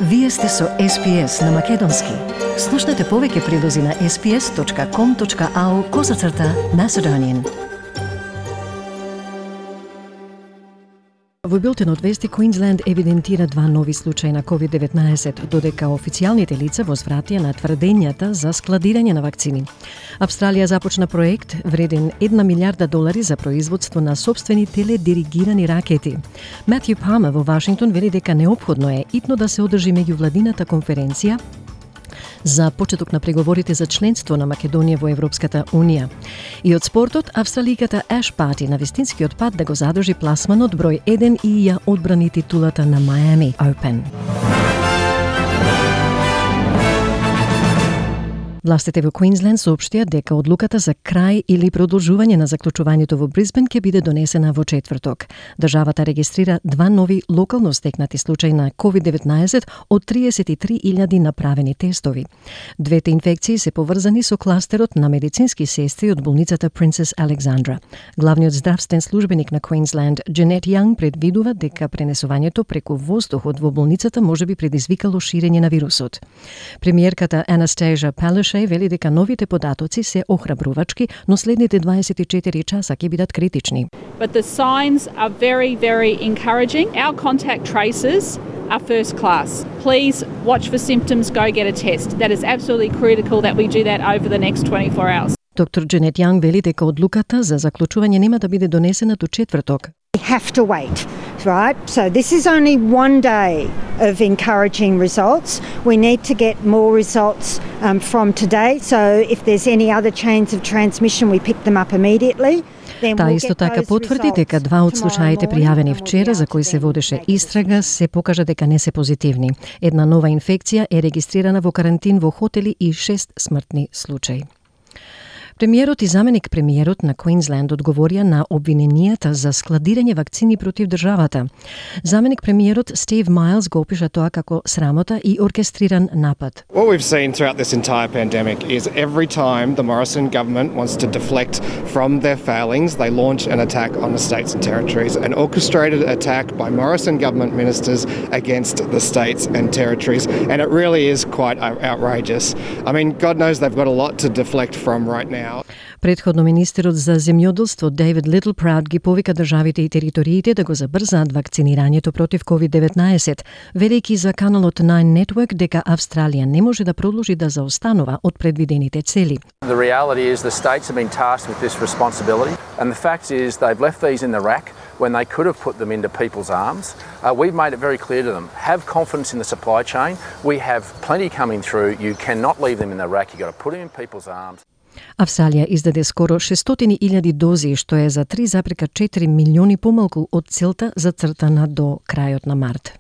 Вие сте со SPS на Македонски. Слушнете повеќе прилози на sps.com.au/Macedonian. Во билтенот вести, Квинсленд евидентира 2 нови случаи на COVID-19, додека официјалните лица возвратија на тврдењата за складирање на вакцини. Австралија започна проект вреден $1 милиарда за производство на собствени теледиригирани ракети. Матју Палмер во Вашингтон вели дека неопходно е итно да се одржи меѓувладината конференција за почеток на преговорите за членство на Македонија во Европската Унија. И од спортот, австраликата Аш Барти на вистинскиот пат да го задржи пласманот број 1 и ја одбрани титулата на Miami Open. Властите во Квинсленд соопштија дека одлуката за крај или продолжување на заклучувањето во Брисбен ќе биде донесена во четврток. Државата регистрира 2 нови локално стекнати случаи на COVID-19 од 33.000 направени тестови. Двете инфекции се поврзани со кластерот на медицински сестри од болницата Princess Alexandra. Главниот здравствен службеник на Квинсленд, Дженет Јанг, предвидува дека пренесувањето преку воздухот во болницата можеби предизвикало ширење на вирусот. Премиерката Анастасија Палашеј вели дека новите податоци се охрабрувачки, но следните 24 часа ќе бидат критични. But the signs are very, very encouraging. Our contact tracers are first class. Please watch for symptoms, go get a test. That is absolutely critical that we do that over the next 24 hours. Доктор Дженет Јанг вели дека одлуката за заклучување нема да биде донесена до четврток. We have to wait, right? So this is only one day of encouraging results. We need to get more results from today. So if there's any other chains of transmission, we pick them up immediately. Таа исто така потврди дека 2 од случаите пријавени вчера за кои се водеше истрага се покажа дека не се позитивни. Една нова инфекција е регистрирана во карантин во хотели и 6 смртни случаи. Премиерот и заменик премиерот на Квинсленд одговорија на обвиненијата за складирање вакцини против државата. Заменик премиерот Стив Майлс го опиша тоа како срамота и оркестриран напад. What we've seen throughout this entire pandemic is every time the Morrison government wants to deflect from their failings, they launch an attack on the states and territories, an orchestrated attack by Morrison government ministers against the states and territories, and it really is quite outrageous. I mean, God knows they've got a lot to deflect from right now. Предходно министерот за земјоделство Дейвид Литлпрауд ги повика државите и териториите да го забрзаат вакцинирањето против COVID-19, велејќи за каналот Nine Network дека Австралија не може да продолжи да заостанува од предвидените цели. The reality is the states have been tasked with this responsibility, and the fact is they've left these in the rack when they could have put them into people's arms. We've made it very clear to them, have confidence in the supply chain. We have plenty coming through. You cannot leave them in the rack. You've got to put them in people's arms. Австралија издаде скоро 600.000 дози, што е за 3,4 милиони помалку од целта зацртана до крајот на март.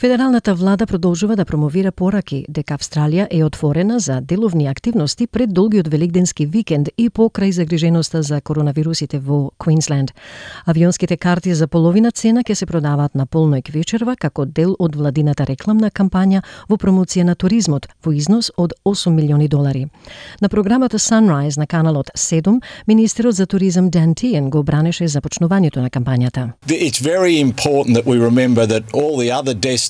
Федералната влада продолжува да промовира пораки дека Австралија е отворена за деловни активности пред долгиот великденски викенд и покрај загриженоста за коронавирусите во Квинсленд. Авионските карти за половина цена ќе се продаваат на полноќ вечерва како дел од владината рекламна кампања во промоција на туризмот во износ од $8 милиони. На програмата Sunrise на каналот 7, министерот за туризам Дан Тиен го бранеше започнувањето на кампањата. It's very important that we remember that all the other destinations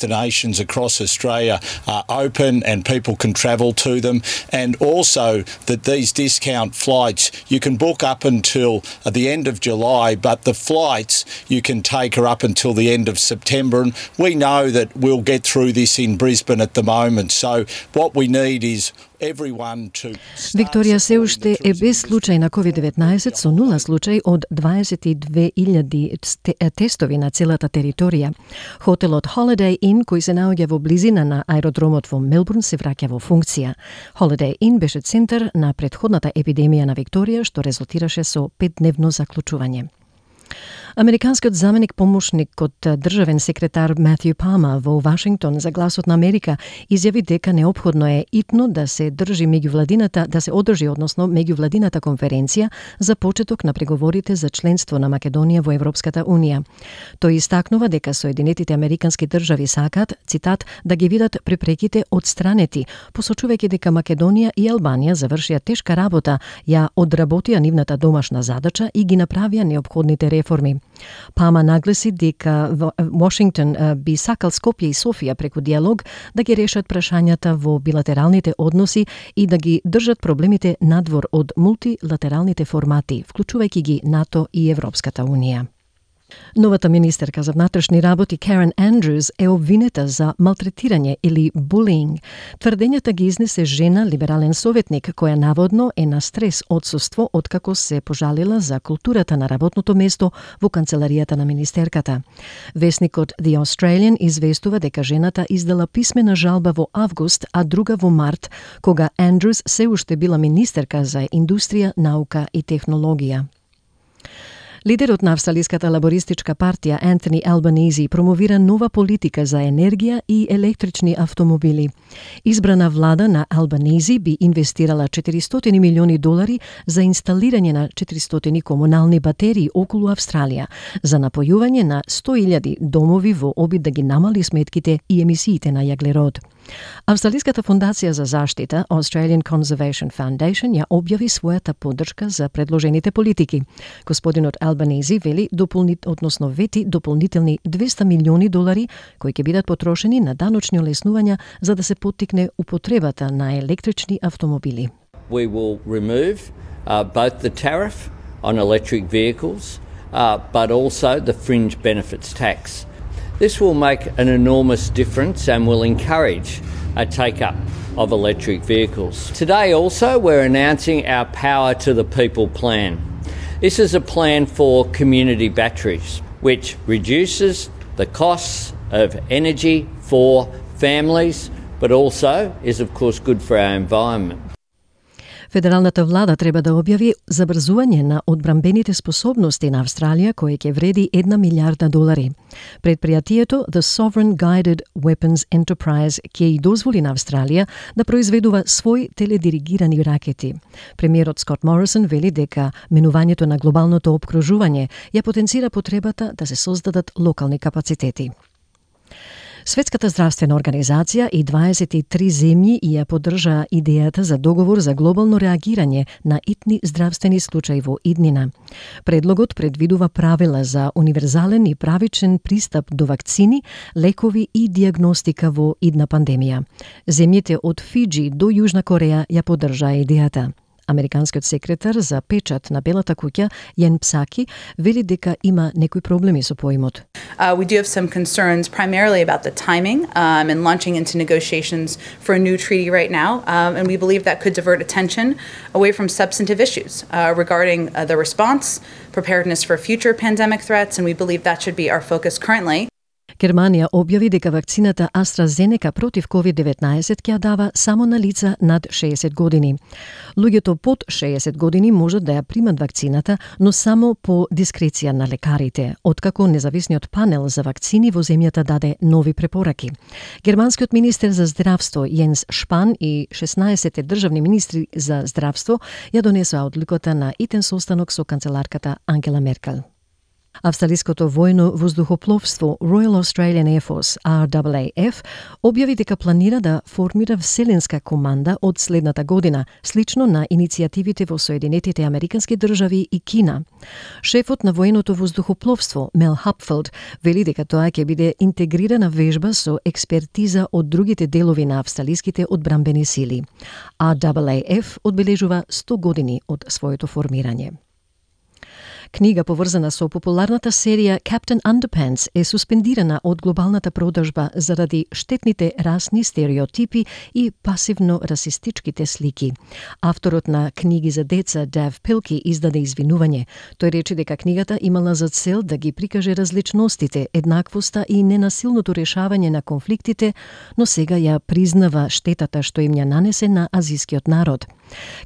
across Australia are open and people can travel to them, and also that these discount flights you can book up until the end of July, but the flights you can take are up until the end of September, and we know that we'll get through this in Brisbane at the moment, so what we need is Викторија се уште е без случај на COVID-19 со 0 случај од 22.000 тестови на целата територија. Хотелот Holiday Inn, кој се наоѓа во близина на аеродромот во Мелбурн, се враќа во функција. Holiday Inn беше центар на претходната епидемија на Викторија, што резултираше со 5-дневно заклучување. Американскиот заменик помошник од државен секретар Матју Палмер во Вашингтон за Гласот на Америка изјави дека неопходно е итно да се одржи меѓувладината конференција за почеток на преговорите за членство на Македонија во Европската Унија. Тој истакнува дека Соединетите Американски држави сакаат, цитат, да ги видат препреките отстранети, посочувајќи дека Македонија и Албанија завршија тешка работа, ја одработија нивната домашна задача и ги направија неопходните реформи. Пама нагласи дека Вашингтон би сакал Скопје и Софија преку диалог да ги решат прашањата во билатералните односи и да ги држат проблемите надвор од мултилатералните формати, вклучувајќи ги НАТО и Европската Унија. Новата министерка за внатрешни работи Карен Андрюс е обвинета за малтретирање или булинг. Тврдењата ги изнесе жена, либерален советник, која наводно е на стрес одсуство откако се пожалила за културата на работното место во канцеларијата на министерката. Весникот The Australian известува дека жената издала писмена жалба во август, а друга во март, кога Андрюс се уште била министерка за индустрија, наука и технологија. Лидерот на Австралиската лабористичка партија Антони Албанези промовира нова политика за енергија и електрични автомобили. Избрана влада на Албанези би инвестирала $400 милиони за инсталирање на 400 комунални батерии околу Австралија, за напојување на 100,000 домови во обид да ги намали сметките и емисиите на јаглерод. Австралиската фондација за заштита Australian Conservation Foundation ја објави својата поддршка за предложените политики. Господинот Албанези вети дополнителни $200 милиони кои ќе бидат потрошени на даночни олеснувања за да се поттикне употребата на електрични автомобили. We will remove both the tariff on electric vehicles but also the fringe benefits tax. This will make an enormous difference and will encourage a take-up of electric vehicles. Today also we're announcing our Power to the People plan. This is a plan for community batteries which reduces the costs of energy for families but also is of course good for our environment. Федералната влада треба да објави забрзување на одбранбените способности на Австралија кој ќе вреди $1 милиарда. Предпријатието The Sovereign Guided Weapons Enterprise ќе и дозволи на Австралија да произведува свој теледиригирани ракети. Премиерот Скот Морисон вели дека менувањето на глобалното опкружување ја потенцира потребата да се создадат локални капацитети. Светската здравствена организација и 23 земји ја поддржаа идејата за договор за глобално реагирање на итни здравствени случаи во иднина. Предлогот предвидува правила за универзален и правичен пристап до вакцини, лекови и диагностика во идна пандемија. Земјите од Фиџи до Јужна Кореја ја поддржаа идејата. Американскиот секретар за печат на Белата куќа, Јен Псаки, вели дека има некои проблеми со поимот. We do have some concerns primarily about the timing and launching into negotiations for a new treaty right now. And we believe that could divert attention away from substantive issues regarding the response, preparedness for future pandemic threats, and we believe that should be our focus currently. Германија објави дека вакцината AstraZeneca против COVID-19 ќе ја дава само на лица над 60 години. Луѓето под 60 години можат да ја примат вакцината, но само по дискреција на лекарите, откако независниот панел за вакцини во земјата даде нови препораки. Германскиот министер за здравство Јенс Шпан и 16 државни министри за здравство ја донесоа одлуката на итен состанок со канцеларката Ангела Меркел. Австралиското војно воздухопловство Royal Australian Air Force, RAAF, објави дека планира да формира вселенска команда од следната година, слично на иницијативите во Соединетите Американски држави и Кина. Шефот на военото воздухопловство, Мел Хапфилд, вели дека тоа ќе биде интегрирана вежба со експертиза од другите делови на австралиските одбранбени сили. RAAF одбележува 100 години од своето формирање. Книга поврзана со популарната серија Captain Underpants е суспендирана од глобалната продажба заради штетните расни стереотипи и пасивно расистичките слики. Авторот на книги за деца Дав Пилки издаде извинување. Тој рече дека книгата имала за цел да ги прикаже различностите, еднаквоста и ненасилното решавање на конфликтите, но сега ја признава штетата што им ја нанесе на азискиот народ.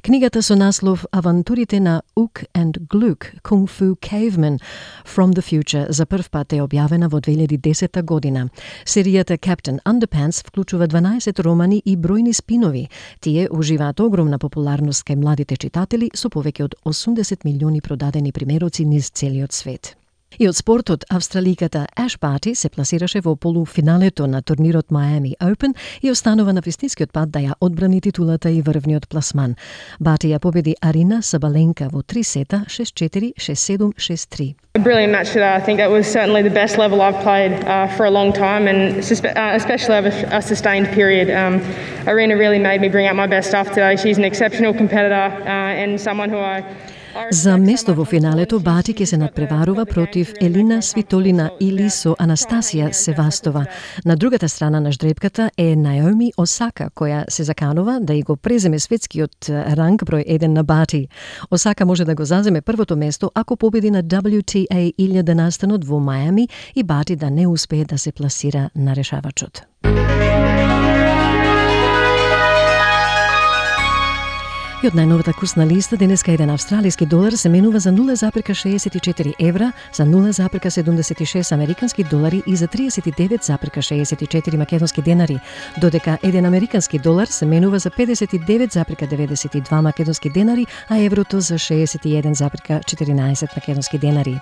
Книгата со наслов Авантурите на Ook and Gluk, Kung Fu Caveman from the Future за прв пат е објавена во 2010 година. Серијата Captain Underpants вклучува 12 романи и бројни спинови. Тие уживаат огромна популарност кај младите читатели со повеќе од 80 милиони продадени примероци низ целиот свет. И од спортот, австраликата Аш Барти се пласираше во полуфиналето на турнирот Miami Open и останува на вистинскиот пат да ја одбрани титулата и врвниот пласман. Барти ја победи Арина Сабаленка во 3 сета, 6-4, 6-7, 6-3. A brilliant match today. I think it was certainly the best level I've played for a long time, and especially over a sustained period. Arina really made me bring out my best stuff today. She's an exceptional competitor and someone who I За место во финалето Барти ќе се надпреварува против Елина Свитолина или со Анастасија Севастова. На другата страна на ждрепката е Наоми Осака, која се заканува да и го преземе светскиот ранг број 1 на Барти. Осака може да го заземе првото место ако победи на WTA 1000 настанот во Мајами и Барти да не успее да се пласира на решавачот. И од најновата курсна листа, денеска еден австралиски долар се менува за 0,64 евра, за 0,76 американски долари и за 39,64 македонски денари, додека еден американски долар се менува за 59,92 македонски денари, а еврото за 61,14 македонски денари.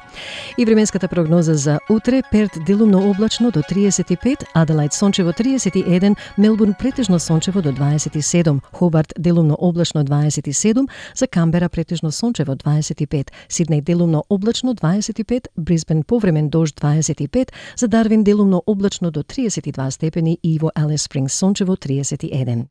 И временската прогноза за утре: Перт делумно облачно до 35, Аделаид сончево 31, Мелбурн претежно сончево до 27, Хобарт делумно облачно 27, за Камбера претежно сончево 25, Сиднеј делумно облачно 25, Брисбен повремен дожд 25, за Дарвин делумно облачно до 32 степени и во Алис Спрингс сончево 31.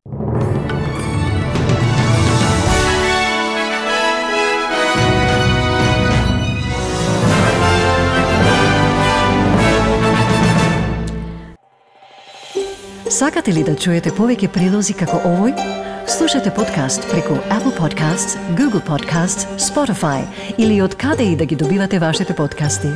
Сакате ли да чуете повеќе прилози како овој? Слушате подкаст преку Apple Podcasts, Google Podcasts, Spotify или од каде и да ги добивате вашите подкасти.